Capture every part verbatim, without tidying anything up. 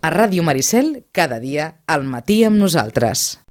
A Ràdio Maricel, cada dia, al matí amb nosaltres.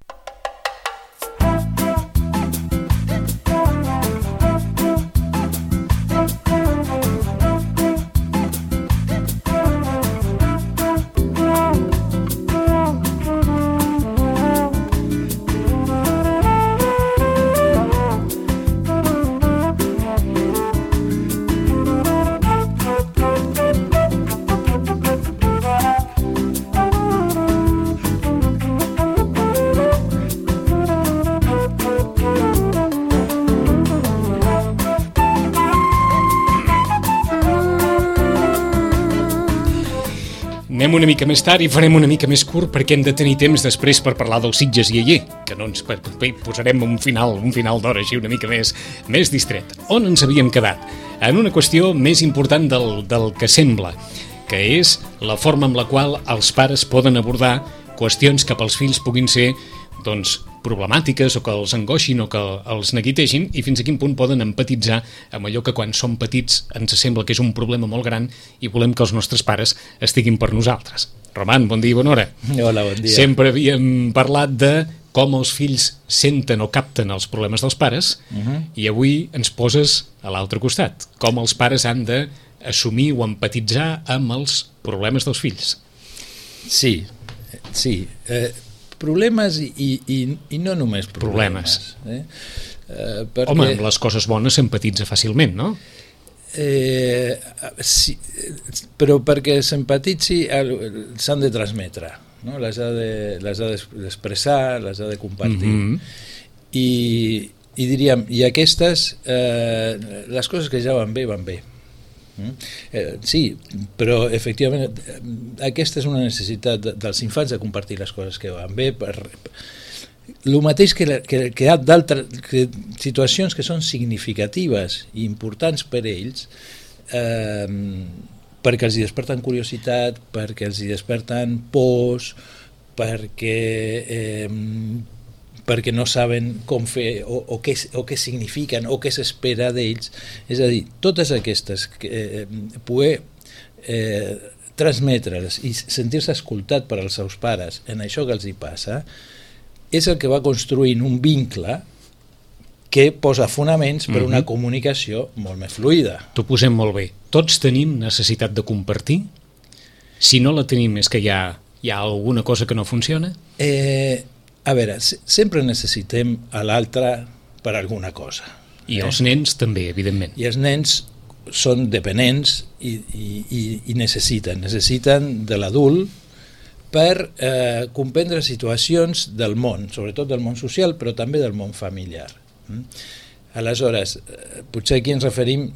Anem una mica més tard i farem una mica més curt perquè hem de tenir temps després per parlar dels Sitges i Aller, que no ens posarem un final, un final d'hora així una mica més, més distret. On ens havíem quedat? En una qüestió més important del, del que sembla, que és la forma amb la qual els pares poden abordar qüestions que pels fills puguin ser doncs, problemàtiques o que els angoixin o que els neguitegin i fins a quin punt poden empatitzar amb allò que quan som petits ens sembla que és un problema molt gran i volem que els nostres pares estiguin per nosaltres. Roman, bon dia i bona hora. Hola, bon dia. Sempre havíem parlat de com els fills senten o capten els problemes dels pares uh-huh. i avui ens poses a l'altre costat. Com els pares han d'assumir o empatitzar amb els problemes dels fills. Sí, sí. Eh, problemes i, i, i no només problemes. problemes. Eh? Eh, perquè... Home, amb les coses bones s'empatitza fàcilment, no? Eh, sí, però perquè s'empatitzi s'han de transmetre, no? Les ha de, les ha d'expressar, les ha de compartir. Mm-hmm. I, i diríem, i aquestes, eh, les coses que ja van bé, van bé. Mm? Eh, sí, però efectivament aquesta és una necessitat dels infants de compartir les coses que van bé per, el mateix que, que, que hi ha d'altres situacions que són significatives i importants per ells eh, perquè els hi desperten curiositat, perquè els hi desperten pors, perquè eh, perquè no saben com fer o, o, què, o què signifiquen o què s'espera d'ells. És a dir, totes aquestes, eh, poder eh, transmetre-les i sentir-se escoltat per als seus pares en això que els hi passa, és el que va construint un vincle que posa fonaments per una comunicació molt més fluida. T'ho posem molt bé. Tots tenim necessitat de compartir? Si no la tenim és que hi ha, hi ha alguna cosa que no funciona? Eh... A veure, sempre necessitem a l'altre per alguna cosa. I eh? els nens també, evidentment. I els nens són dependents i, i, i necessiten, necessiten de l'adult per eh, comprendre situacions del món, sobretot del món social, però també del món familiar. Mm? Aleshores, eh, potser aquí ens referim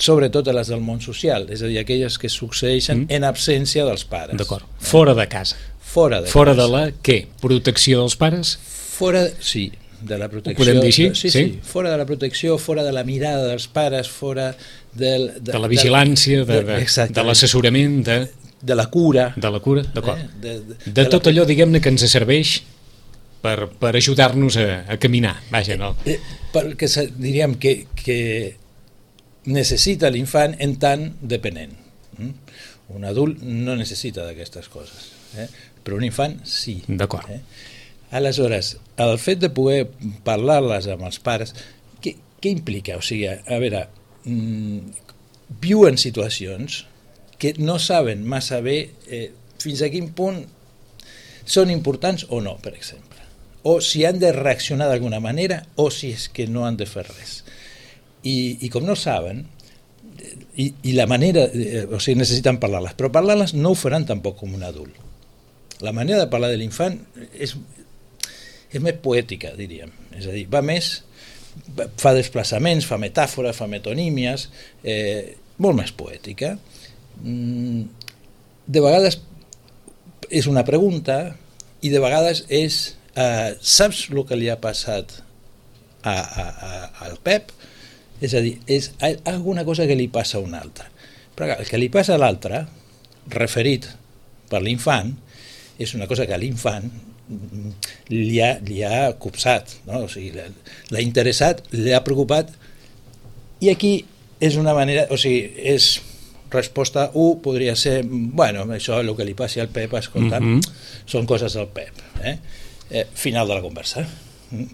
sobretot a les del món social, és a dir, aquelles que succeeixen mm. en absència dels pares. D'acord, fora de casa. Fora de, fora de la, què? Protecció dels pares? Fora, sí, de la protecció. Ho podem dir així? Sí, sí, sí, fora de la protecció, fora de la mirada dels pares, fora del, de, de la vigilància, de, de, de, de l'assessorament, de... de la cura. De la cura, d'acord. Eh? De, de, de, de tot la... allò, diguem-ne, que ens serveix per, per ajudar-nos a, a caminar, vaja, no? Eh, perquè diríem que, que necessita l'infant en tant dependent. Un adult no necessita d'aquestes coses, eh? Però un infant sí. D'acord. Eh? Aleshores, el fet de poder parlar-les amb els pares, què, què implica? O sigui, a veure, mmm, viuen situacions que no saben massa bé eh, fins a quin punt són importants o no, per exemple. O si han de reaccionar d'alguna manera o si és que no han de fer res. I, i com no saben, i, i la manera, eh, o sigui, necessiten parlar-les, però parlar-les no ho faran tampoc com un adult. La manera de parlar de l'infant és, és més poètica, diríem. És a dir, va més, fa desplaçaments, fa metàfores, fa metonímies, eh, molt més poètica. De vegades és una pregunta i de vegades és eh, saps el que li ha passat a, a, a, al Pep? És a dir, és alguna cosa que li passa a un altre. Però el que li passa a l'altre, referit per l'infant, és una cosa que a l'infant li ha, li ha copsat, no? O sigui, l'ha interessat, l'ha preocupat, i aquí és una manera, o sigui, és resposta u podria ser, bueno, això és el que li passi al Pep, escolta, mm -hmm. són coses del Pep. Eh? Eh, final de la conversa. Mm?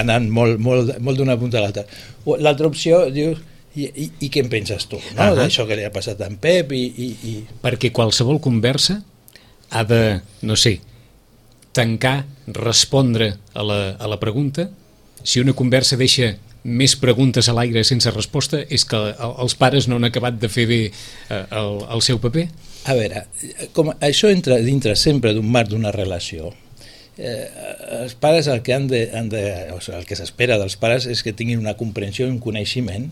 Anant molt, molt, molt d'una punta a l'altra. L'altra opció, dius, i, i, i què en penses tu, no? Uh -huh. D'això que li ha passat a en Pep i, i, i... Perquè qualsevol conversa ha de, no sé, tancar, respondre a la, a la pregunta. Si una conversa deixa més preguntes a l'aire sense resposta, és que els pares no han acabat de fer bé eh, el, el seu paper? A veure, com això entra dintre sempre d'un marc d'una relació. Eh, els pares el que han de, han de o sigui, el que s'espera dels pares és que tinguin una comprensió i un coneixement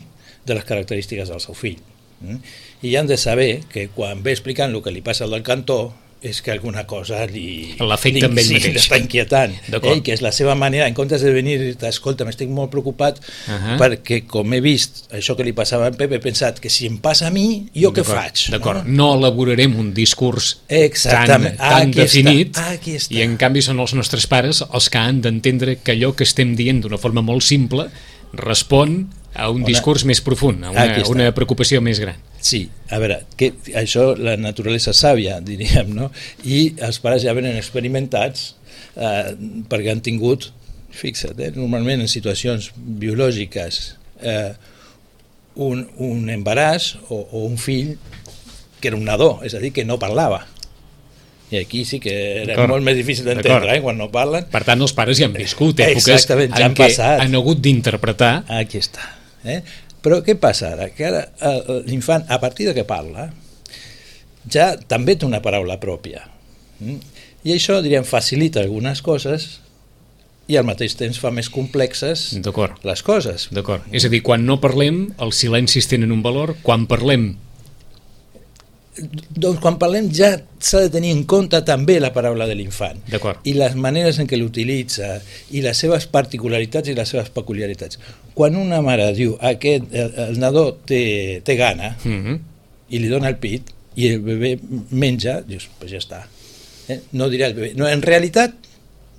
de les característiques del seu fill. Mm? I han de saber que quan ve explicant el que li passa al del cantó és que alguna cosa li l'afecta amb ell mateix, l'està inquietant, eh? Que és la seva manera, en comptes de venir i dir, escolta, m'estic molt preocupat uh -huh. perquè com he vist això que li passava a en Pep, he pensat que si em passa a mi, jo què faig? D'acord, no? no elaborarem un discurs Exactament. tan, tan definit està. I en canvi són els nostres pares els que han d'entendre que allò que estem dient d'una forma molt simple respon a un una... discurs més profund, a una, una preocupació més gran. Sí, a veure, que això la naturalesa sàvia, diríem, no? I els pares ja venen experimentats eh, perquè han tingut, fixa't, eh, normalment en situacions biològiques eh, un, un embaràs o, o un fill que era un nadó, és a dir, que no parlava. I aquí sí que era molt més difícil d'entendre, eh, quan no parlen. Per tant, els pares ja han viscut èpoques ja en han què passat. Han hagut d'interpretar. Aquí està. Eh? Però què passa ara? Que ara l'infant, a partir de que parla, ja també té una paraula pròpia. I això, diríem, facilita algunes coses i al mateix temps fa més complexes les coses. D'acord. És a dir, quan no parlem, els silencis tenen un valor. Quan parlem... Doncs quan parlem ja s'ha de tenir en compte també la paraula de l'infant i les maneres en què l'utilitza i les seves particularitats i les seves peculiaritats. Quan una mare diu aquest, el, el nadó té, té gana mm-hmm. i li dona el pit i el bebè menja, dius, pues ja està. Eh? No dirà el bebè. No, en realitat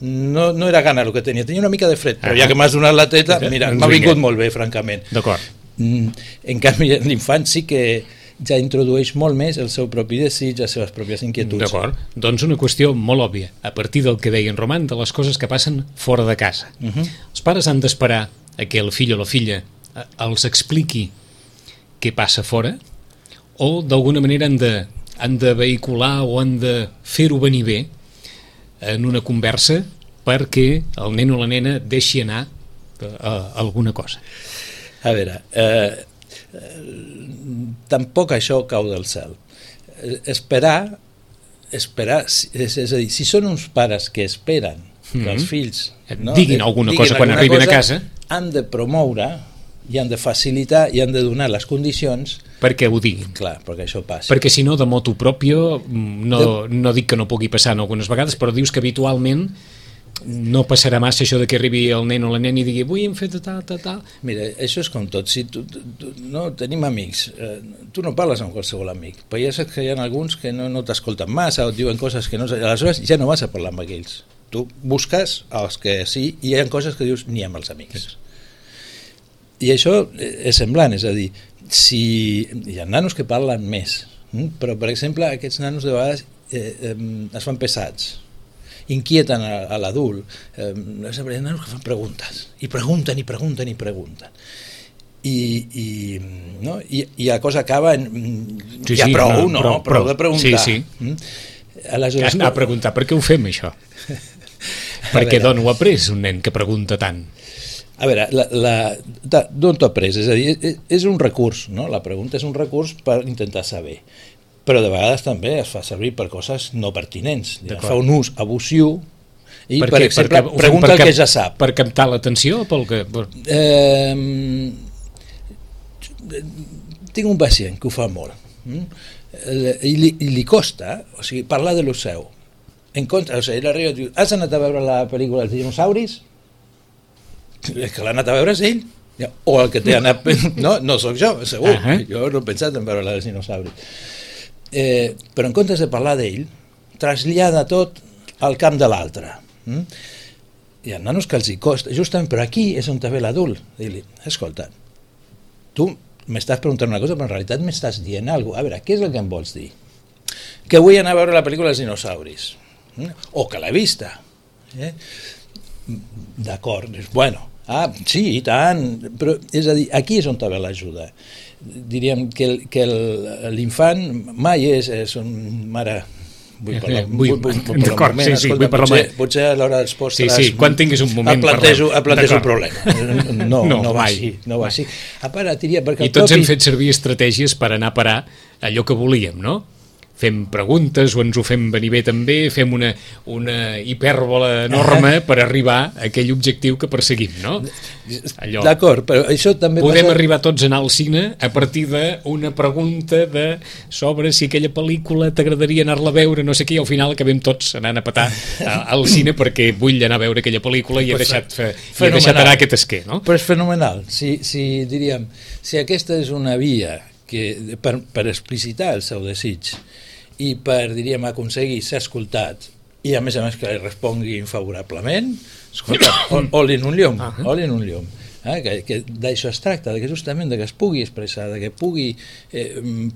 no, no era gana el que tenia, tenia una mica de fred, però ja que m'has donat la teta, mira, m'ha vingut molt bé, francament. D'acord. Mm, en canvi, l'infant sí que ja introdueix molt més el seu propi desig, les seves pròpies inquietuds. D'acord, doncs una qüestió molt òbvia, a partir del que deia en Roman, de les coses que passen fora de casa. Uh -huh. Els pares han d'esperar a que el fill o la filla els expliqui què passa fora, o d'alguna manera han de, han de vehicular o han de fer-ho venir bé en una conversa perquè el nen o la nena deixi anar a, a alguna cosa. A veure... Eh... tampoc això cau del cel. Esperar, esperar és, és a dir, si són uns pares que esperen que mm-hmm. els fills no, diguin alguna diguin cosa quan alguna arriben cosa, a casa, han de promoure i han de facilitar i han de donar les condicions perquè ho diguin. Clar, perquè això passa. Perquè si no, de motu propio, no, no dic que no pugui passar en algunes vegades, però dius que habitualment no passarà massa això de que arribi el nen o la nena i digui avui hem fet tal, tal, tal. Mira, això és com tot. Si tu, tu, no, tenim amics. Eh, tu no parles amb qualsevol amic, però ja saps que hi ha alguns que no, no t'escolten massa o et diuen coses que no... Aleshores ja no vas a parlar amb aquells. Tu busques els que sí i hi ha coses que dius ni amb els amics. I això és semblant, és a dir, si hi ha nanos que parlen més, però per exemple aquests nanos de vegades eh, eh, es fan pesats, inquieten a, a l'adult, eh, hi ha nanos que fan preguntes i pregunten i pregunten i pregunten i, i, no? I, i la cosa acaba en sí, ja sí, prou, no, no? Prou, prou de preguntar. Sí, sí. Mm? Aleshores, anar a preguntar per què ho fem això perquè d'on ho ha après un nen que pregunta tant? A veure, d'on t'ho ha après? És a dir, és un recurs, no? La pregunta és un recurs per intentar saber, però de vegades també es fa servir per coses no pertinents, ja fa un ús abusiu i, per, per exemple, perquè, pregunta el que ja sap. Per captar l'atenció? Pel que... Eh, tinc un pacient que ho fa molt i li, i li costa, o sigui, parlar de lo seu. En contra, o sigui, ell arriba i diu, has anat a veure la pel·lícula dels dinosauris? És que l'ha anat a veure és ell, o el que té anat... No, no sóc jo, segur, uh -huh. Jo no he pensat en veure la dels dinosauris. Eh, però en comptes de parlar d'ell, trasllada tot al camp de l'altre. Mm? Hi ha nanos que els hi costa, justament, però aquí és on ve l'adult. Dir-li, escolta, tu m'estàs preguntant una cosa, però en realitat m'estàs dient alguna cosa. A veure, què és el que em vols dir? Que vull anar a veure la pel·lícula dels dinosauris. Eh? O que l'he vista. Eh? D'acord, bueno, ah, sí, i tant, però és a dir, aquí és on també l'ajuda. Diríem que, el, que el, l'infant mai és, és un mare... Vull parlar, vull, vull, vull, vull d'acord, moment, sí, sí, escolta, vull parlar potser, potser a l'hora dels postres sí, sí, quan tinguis un moment et plantejo, et plantejo un parlem. problema no, no, no va mai, així, no va mai. així. A part, diria, perquè I tots propi... hem fet servir estratègies per anar a parar allò que volíem, no? Fem preguntes o ens ho fem venir bé també, fem una, una hipèrbola enorme per arribar a aquell objectiu que perseguim, no? Allò. D'acord, però això també podem passa... arribar tots a anar al cine a partir d'una pregunta de sobre si aquella pel·lícula t'agradaria anar-la a veure, no sé què, i al final acabem tots anant a petar al cine perquè vull anar a veure aquella pel·lícula i he deixat, fe, i he deixat anar aquest esquer, no? Però és fenomenal, si, si diríem, si aquesta és una via que, per, per explicitar el seu desig i per, diríem, aconseguir ser escoltat i a més a més que li respongui favorablement, escolta, all in un llum, all in un llum. Eh? Que, que d'això es tracta, de que justament de que es pugui expressar, de que pugui eh,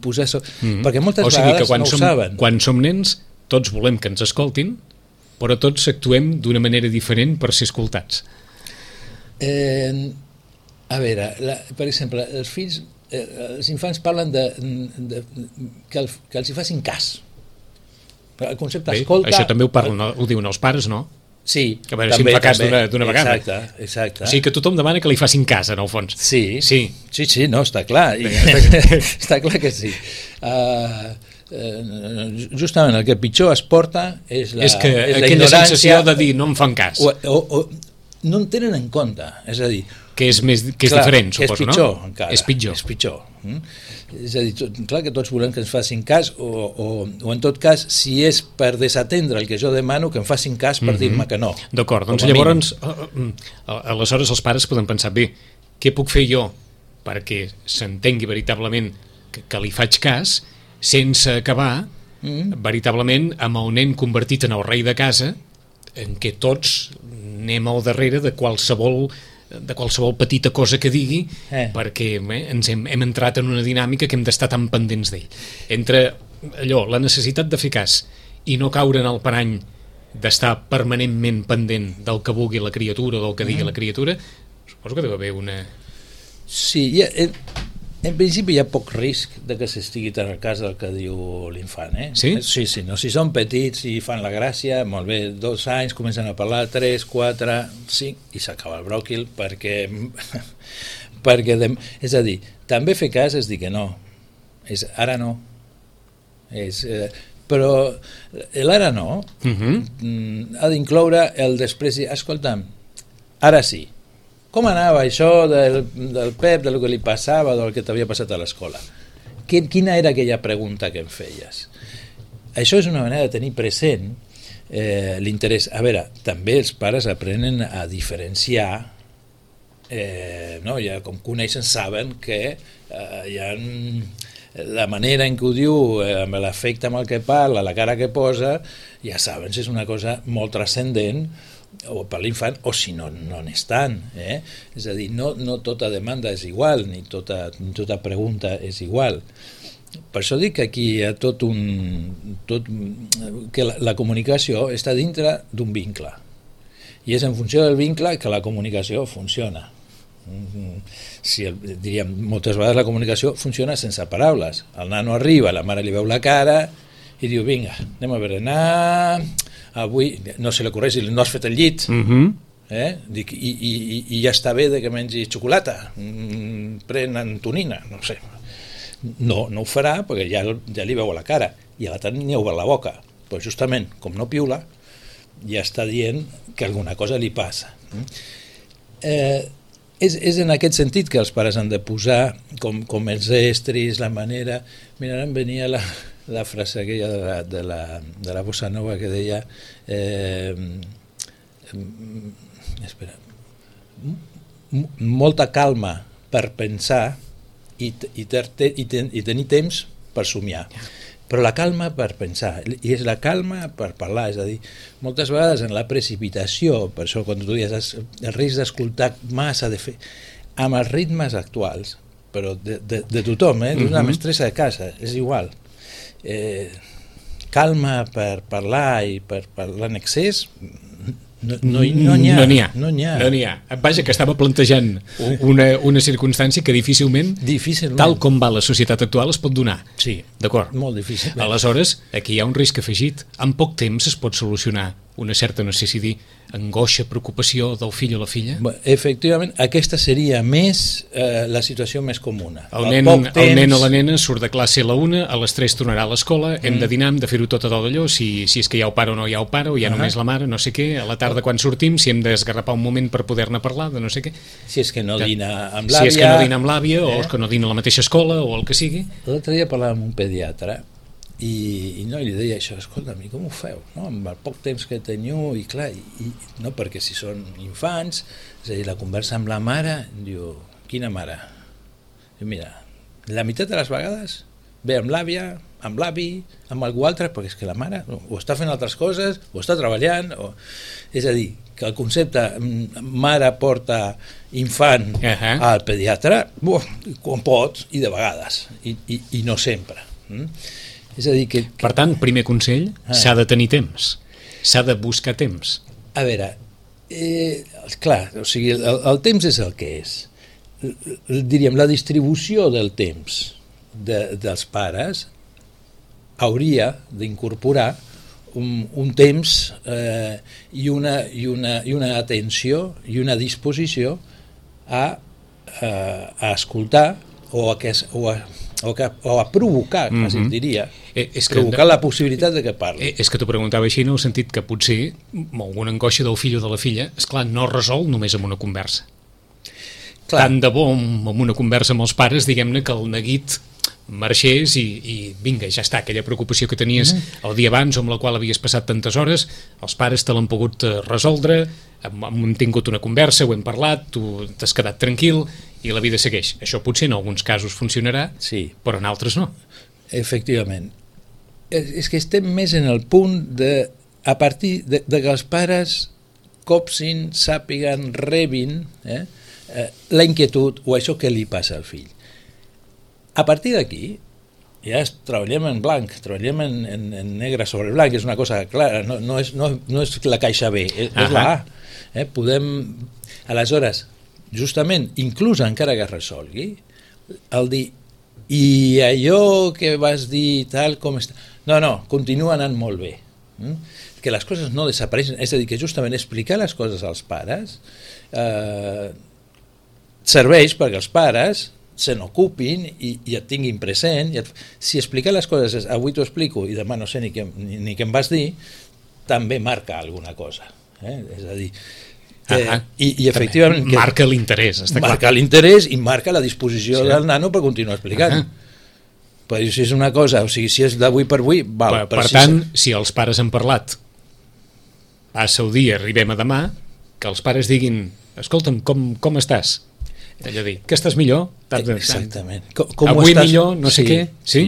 posar... So... Mm-hmm. Perquè moltes o sigui vegades que quan no som, ho saben. Quan som nens, tots volem que ens escoltin, però tots actuem d'una manera diferent per ser escoltats. Eh, a veure, la, per exemple, els fills... Eh, els infants parlen de, de, que, el, que els hi facin cas. El concepte Bé, escolta... això també ho, parlen, ho diuen els pares, no? Sí, que a veure també, si em fa cas també. d'una vegada. Exacte, exacte. O sigui que tothom demana que li facin cas, en el fons. Sí, sí, sí, sí no, està clar. I, està, està clar que sí. Uh, uh, justament el que pitjor es porta és la, és que és la aquella sensació de dir no em fan cas. O, o, o no en tenen en compte, és a dir... Que és, més, que és clar, diferent, que suposo, és pitjor, no? Encara, és pitjor. És pitjor. Mm? És a dir, tot, clar que tots volem que ens facin cas o, o, o en tot cas, si és per desatendre el que jo demano, que em facin cas per mm-hmm. dir-me que no. D'acord, doncs llavors aleshores els pares poden pensar, bé, què puc fer jo perquè s'entengui veritablement que, que li faig cas sense acabar mm. veritablement amb el nen convertit en el rei de casa, en què tots anem al darrere de qualsevol de qualsevol petita cosa que digui eh. perquè eh, ens hem, hem entrat en una dinàmica que hem d'estar tan pendents d'ell. Entre allò, la necessitat de fer cas i no caure en el parany d'estar permanentment pendent del que vulgui la criatura o del que digui mm. la criatura, suposo que deu haver una... Sí, ja, en, en principi hi ha poc risc de que s'estigui tan al cas del que diu l'infant. Eh? Sí? Sí, sí, no? Si són petits i fan la gràcia, molt bé, dos anys, comencen a parlar, tres, quatre, cinc, i s'acaba el bròquil perquè... perquè de, és a dir, també fer cas és dir que no. És ara no. És, eh, però l'ara no uh-huh. ha d'incloure el després dir, escolta'm, ara sí. Com anava això del, del Pep, del que li passava, del que t'havia passat a l'escola? Quina era aquella pregunta que em feies? Això és una manera de tenir present eh, l'interès. A veure, també els pares aprenen a diferenciar, eh, no? Ja com coneixen, saben que eh, hi ha la manera en què ho diu, eh, amb l'afecte amb el que parla, la cara que posa, ja saben si és una cosa molt transcendent o per l'infant, o si no, no n'és tant. Eh? És a dir, no, no tota demanda és igual, ni tota, ni tota pregunta és igual. Per això dic que aquí hi ha tot un... Tot, que la, la comunicació està dintre d'un vincle. I és en funció del vincle que la comunicació funciona. Si, diríem, moltes vegades la comunicació funciona sense paraules. El nano arriba, la mare li veu la cara i diu, vinga, anem a berenar... avui no se li ocorreix, no has fet el llit uh-huh. eh? Dic, i, i, i ja està bé de que mengi xocolata, mm, pren Antonina, no sé, no, no ho farà perquè ja, ja li veu a la cara i a l'altre ni ha obert la boca, però justament com no piula ja està dient que alguna cosa li passa. eh, és, és en aquest sentit que els pares han de posar com, com els estris, la manera. Mira, ara em venia la la frase aquella de la, de la, de la bossa nova que deia eh, espera m- molta calma per pensar i, i, ter, i, ten, i tenir temps per somiar, però la calma per pensar, i és la calma per parlar, és a dir, moltes vegades en la precipitació, per això quan tu dius el risc d'escoltar massa, de fer, amb els ritmes actuals però de, de, de tothom, eh? D'una Mhm. mestressa de casa, és igual. Eh, calma per parlar i per parlar en excés, no, no, no n'hi ha. No n'hi ha. No n'hi ha. No n'hi ha. Vaja, que estava plantejant una, una circumstància que difícilment, Difícilment. tal com va la societat actual, es pot donar. Sí, D'acord. molt difícil. Aleshores, aquí hi ha un risc afegit. En poc temps es pot solucionar una certa, no sé si dir, angoixa, preocupació del fill o la filla? Bé, efectivament, aquesta seria més eh, la situació més comuna. El Al nen, poc el temps- nen o la nena surt de classe a la una, a les tres tornarà a l'escola, hem Mm. de dinar, hem de fer-ho tot a d'allò, si, si és que hi ha el pare o no hi ha el pare, o hi ha Ahà. només la mare, no sé què, a la tarda quan sortim, si hem d'esgarrapar un moment per poder-ne parlar, de no sé què. Si és que no Que- dina amb Si l'àvia... és que no dina amb l'àvia, o eh? és que no dina a la mateixa escola, o el que sigui. L'altre dia parlava amb un pediatre i, i no, i li deia això, escolta, i com ho feu? No? Amb el poc temps que teniu, i clar, i, i, no perquè si són infants, és a dir, la conversa amb la mare, diu, quina mare? Diu, mira, la meitat de les vegades ve amb l'àvia, amb l'avi, amb algú altre, perquè és que la mare o està fent altres coses, o està treballant, o... és a dir, que el concepte mm, mare porta infant Ahà. al pediatre, buah, quan pot, i de vegades, i, i, i no sempre. Mm? És a dir, que, que... Per tant, primer consell, Ah. s'ha de tenir temps, s'ha de buscar temps. A veure, eh, clar, o sigui, el, el temps és el que és. L- l- Diríem, la distribució del temps de, dels pares hauria d'incorporar un, un temps eh, i, una, i, una, i una atenció i una disposició a, eh, a escoltar o a, que, es- o a, o que, o a provocar, quasi Mhm. diria, Eh, és que- provocar la possibilitat de que parli. Eh, és que t'ho preguntava així en el sentit que potser amb alguna angoixa del fill o de la filla, és clar, no es resol només amb una conversa. Clar. Tant de bo amb amb una conversa amb els pares, diguem-ne que el neguit marxés i, i vinga, ja està, aquella preocupació que tenies Mhm. el dia abans o amb la qual havies passat tantes hores, els pares te l'han pogut eh, resoldre, hem, hem tingut una conversa, ho hem parlat, tu t'has quedat tranquil i la vida segueix. Això potser en alguns casos funcionarà, Sí. però en altres no. Efectivament. És, és que estem més en el punt de, a partir de, de que els pares copsin, sàpiguen, rebin eh, eh, la inquietud o això que li passa al fill. A partir d'aquí, ja es, treballem en blanc, treballem en, en, en negre sobre blanc, és una cosa clara, no, no, és, no, no és la caixa B, és, és la A. Eh? Podem, aleshores, justament, inclús encara que es resolgui, el dir, i allò que vas dir tal com està... No, no, continua anant molt bé. Mm? Que les coses no desapareixen, és a dir, que justament explicar les coses als pares eh, serveix perquè els pares se n'ocupin i, i et tinguin present. I et, si explicar les coses és avui t'ho explico i demà no sé ni què, ni, ni què em vas dir, també marca alguna cosa. Eh? És a dir, eh, Ah, i, i efectivament... Que marca l'interès, està clar. marca l'interès i marca la disposició Sí. del nano per continuar explicant. Ah. Però si és una cosa, o sigui, si és d'avui per avui, val. Per, però per si tant, si els pares han parlat, passa el dia, arribem a demà, que els pares diguin, escolta'm, com, com estàs? Allò dir, que estàs millor? Tant, tant. Exactament. Com, com ho Avui estàs? millor, no sé què, sí?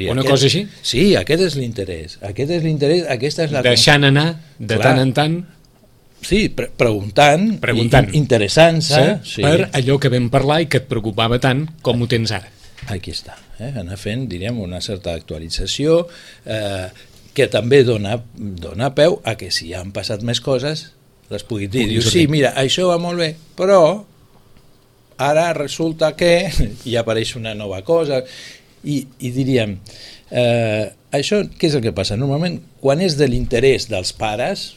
Una aquest, cosa així? Sí, aquest és l'interès. Aquest és l'interès, aquesta és la... Deixant anar, de Clar. tant en tant, Sí, pre preguntant, Preguntant. i- interessant-se. sí, Sí. per allò que vam parlar i que et preocupava tant com ho tens ara. Aquí està, eh? Anar fent, diríem, una certa actualització eh, que també dona, dona peu a que si han passat més coses les puguin dir. Puguin Diu, sortir. sí, mira, això va molt bé, però ara resulta que hi apareix una nova cosa i, i diríem eh, això què és el que passa? Normalment quan és de l'interès dels pares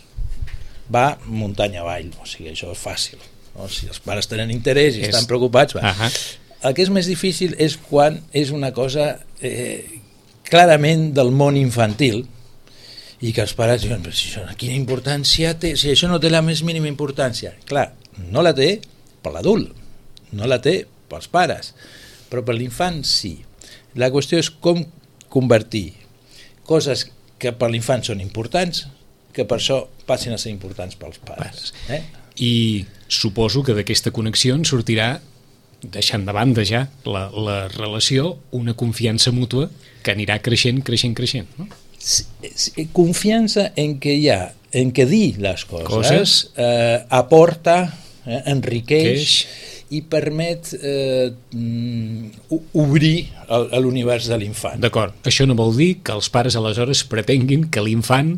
va muntanya avall, o sigui, això és fàcil, no? Si els pares tenen interès i És- estan preocupats, va. Ahà. El que és més difícil és quan és una cosa eh, clarament del món infantil i que els pares diuen, però si això, quina importància té, si això no té la més mínima importància. Clar, no la té per l'adult, no la té pels pares, però per l'infant sí. La qüestió és com convertir coses que per l'infant són importants, que per això passin a ser importants pels pares. Eh? I suposo que d'aquesta connexió en sortirà, deixant de banda ja la, la relació, una confiança mútua que anirà creixent, creixent, creixent. No? Sí, sí, confiança en que hi ha, en que dir les coses, Coses. eh, aporta, eh, enriqueix Queix. i permet eh, obrir el, l'univers de l'infant. D'acord, això no vol dir que els pares aleshores pretenguin que l'infant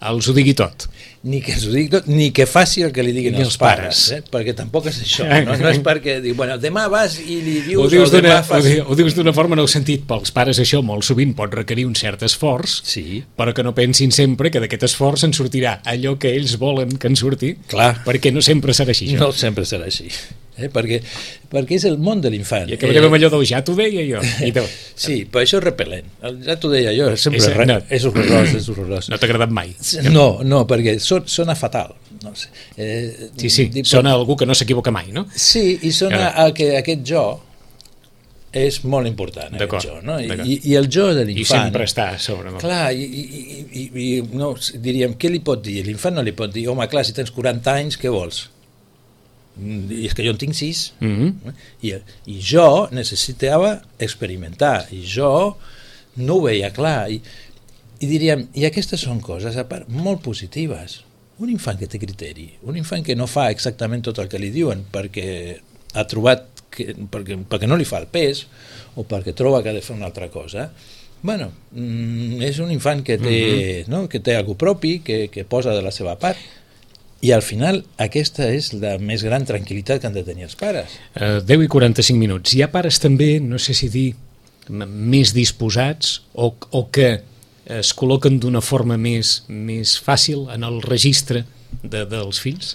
els ho digui tot. Ni que ens ho digui tot, ni que faci el que li diguin els, els pares, pares. Eh? Perquè tampoc és això, no, no és perquè diu, bueno, demà vas i li dius ho dius, o demà fas... ho dius d'una forma en el sentit, pels pares això molt sovint pot requerir un cert esforç, sí. Però que no pensin sempre que d'aquest esforç en sortirà allò que ells volen que en surti. Clar. Perquè no sempre serà així. No sempre serà així. Eh? Perquè, perquè és el món de l'infant. I acabarem eh... amb allò del ja t'ho deia jo. I tu... Sí, però això és repel·lent. El ja t'ho deia jo, sempre és, re... no, és horrorós, és horrorós. No t'ha agradat mai? No, no, perquè son, sona fatal. No sé. Eh, sí, sí, dir, sona però... algú que no s'equivoca mai, no? Sí, i sona a que aquest jo és molt important, aquest jo, no? I, i el jo de l'infant... I sempre està a sobre. No? Clar, i, i, i, i no, diríem, què li pot dir? L'infant no li pot dir, home, clar, si tens quaranta anys, què vols? I és que jo en tinc sis. Mm-hmm. I, i jo necessitava experimentar, i jo no ho veia clar. I, i diríem, i aquestes són coses, a part, molt positives. Un infant que té criteri, un infant que no fa exactament tot el que li diuen perquè ha trobat que, perquè, perquè no li fa el pes o perquè troba que ha de fer una altra cosa, bueno, és un infant que té, mm-hmm. no? que té algú propi, que, que posa de la seva part, i al final aquesta és la més gran tranquil·litat que han de tenir els pares. Uh, deu i quaranta-cinc minuts. Hi ha pares també, no sé si dir, més disposats o, o que es col·loquen d'una forma més, més fàcil en el registre de, dels fills?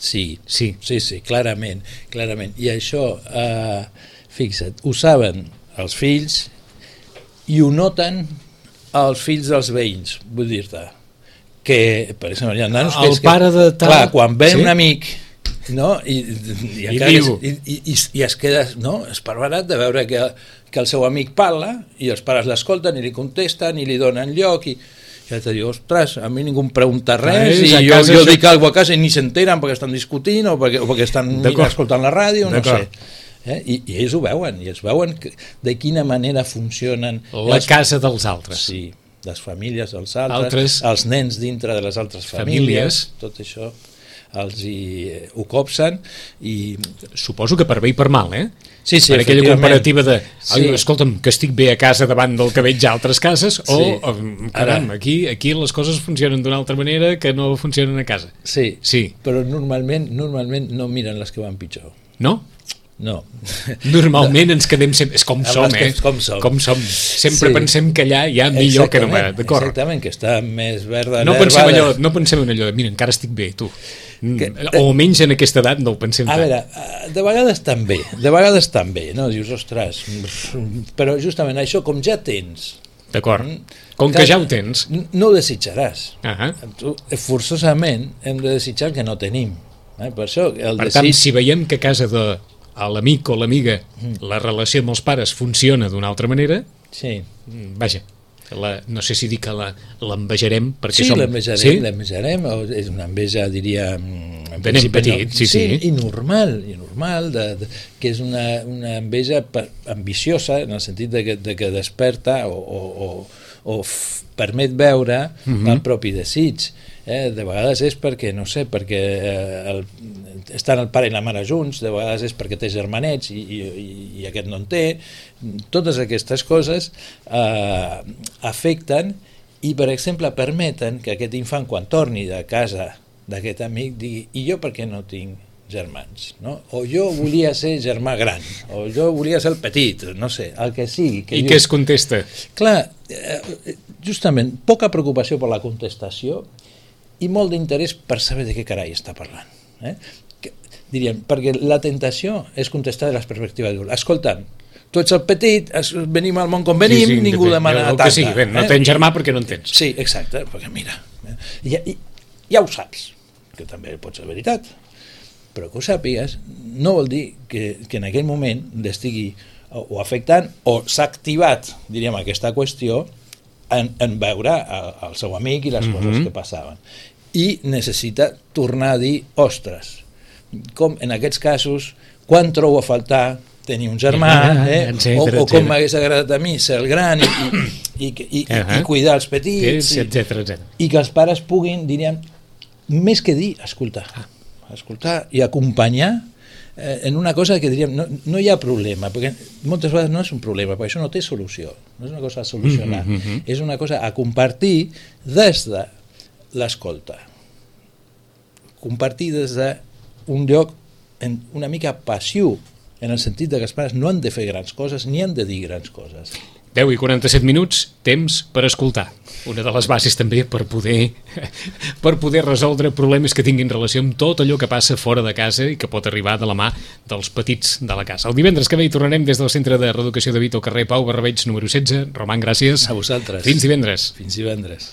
Sí, sí, sí, sí, clarament, clarament. I això, eh, fixa't, ho saben els fills i ho noten els fills dels veïns, vull dir-te, que, per exemple, hi ha nanos que... El pare de tal... Clar, quan ve sí? un amic, no? I, i, I, diu... i, i, i es queda, no? esparverat de veure que, que el seu amic parla i els pares l'escolten i li contesten i li donen lloc i... I ja te diu, ostres, a mi ningú em pregunta res i jo, jo dic això... alguna cosa a casa i ni s'enteren perquè estan discutint o perquè, o perquè estan escoltant la ràdio, no sé. Eh? I, I ells ho veuen, i ells veuen que, de quina manera funcionen... La les... casa dels altres. Sí, les famílies dels altres, altres... els nens dintre de les altres famílies, famílies. Tot això els hi, eh, ho copsen i... Suposo que per bé i per mal, eh? Sí, sí, per aquella comparativa de, sí. escolta'm, que estic bé a casa davant del que veig a altres cases, o, sí. o caram, Ara, aquí, aquí les coses funcionen d'una altra manera que no funcionen a casa. Sí, sí. Però normalment, normalment no miren les que van pitjor. No? No. Normalment ens quedem sempre... És com som, eh? Com som. Com som. Sempre sí. Pensem que allà hi ha millor que no va. D'acord. Exactament, que està més verda no l'herba. Pensem allò, no pensem en allò de, mira, encara estic bé, tu. Que, o almenys en aquesta edat no ho pensem a tant. A veure, de vegades també, de vegades també, no? Dius, ostres, però justament això, com ja tens... D'acord, com que ja ho tens... No ho desitjaràs. Uh -huh. Tu, forçosament hem de desitjar el que no tenim. Eh? Per això el per desig... tant, si veiem que a casa de a l'amic o l'amiga mm. la relació amb els pares funciona d'una altra manera, sí. vaja, la, no sé si dir que l'envejarem perquè sí, som... l'envejarem, sí, l'envejarem, és una enveja, diria... De nen petit, sí, sí. sí. I normal, i normal de, de, que és una, una enveja per, ambiciosa, en el sentit de que, de que desperta o, o, o, o f, permet veure mm-hmm. el propi desig. Eh? De vegades és perquè, no sé, perquè eh, el, estan el pare i la mare junts, de vegades és perquè té germanets i, i, i aquest no en té. Totes aquestes coses eh, afecten i, per exemple, permeten que aquest infant, quan torni de casa d'aquest amic, digui, i jo per què no tinc germans? No? O jo volia ser germà gran, o jo volia ser el petit, no sé, el que sigui. Que I jo... què es contesta? Clar, justament, poca preocupació per la contestació i molt d'interès per saber de què carai està parlant. Eh? Que, diríem, perquè la tentació és contestar de la perspectiva d'adult. Escolta'm, tu ets el petit, venim al món com venim, sí, sí, ningú demana tanta. Sí, ben, no eh? tens germà perquè no en tens. Sí, exacte, perquè mira, ja, ja ho saps, que també pot ser veritat, però que ho sàpigues no vol dir que, que en aquell moment l'estigui o, o afectant o s'ha activat, diríem, aquesta qüestió en, en veure el, el seu amic i les mm-hmm. coses que passaven. I necessita tornar a dir, ostres, com en aquests casos, quan trobo a faltar tenir un germà, eh? etcètera, o, o com m'hagués agradat a mi ser el gran i, i, i, i, uh-huh. i cuidar els petits, etcètera, etcètera. I, i que els pares puguin, diríem, més que dir, escoltar, escoltar i acompanyar eh, en una cosa que diríem, no, no hi ha problema, perquè moltes vegades no és un problema, perquè això no té solució, no és una cosa a solucionar, mm -hmm. és una cosa a compartir des de l'escolta. Compartir des d'un lloc en una mica passiu, en el sentit de que els pares no han de fer grans coses ni han de dir grans coses. deu i quaranta-set minuts, temps per escoltar. Una de les bases també per poder per poder resoldre problemes que tinguin relació amb tot allò que passa fora de casa i que pot arribar de la mà dels petits de la casa. El divendres que ve hi tornarem des del Centre de Reeducació de Vic al carrer Pau Barrabeig número setze. Roman, gràcies. A vosaltres. Fins divendres. Fins divendres.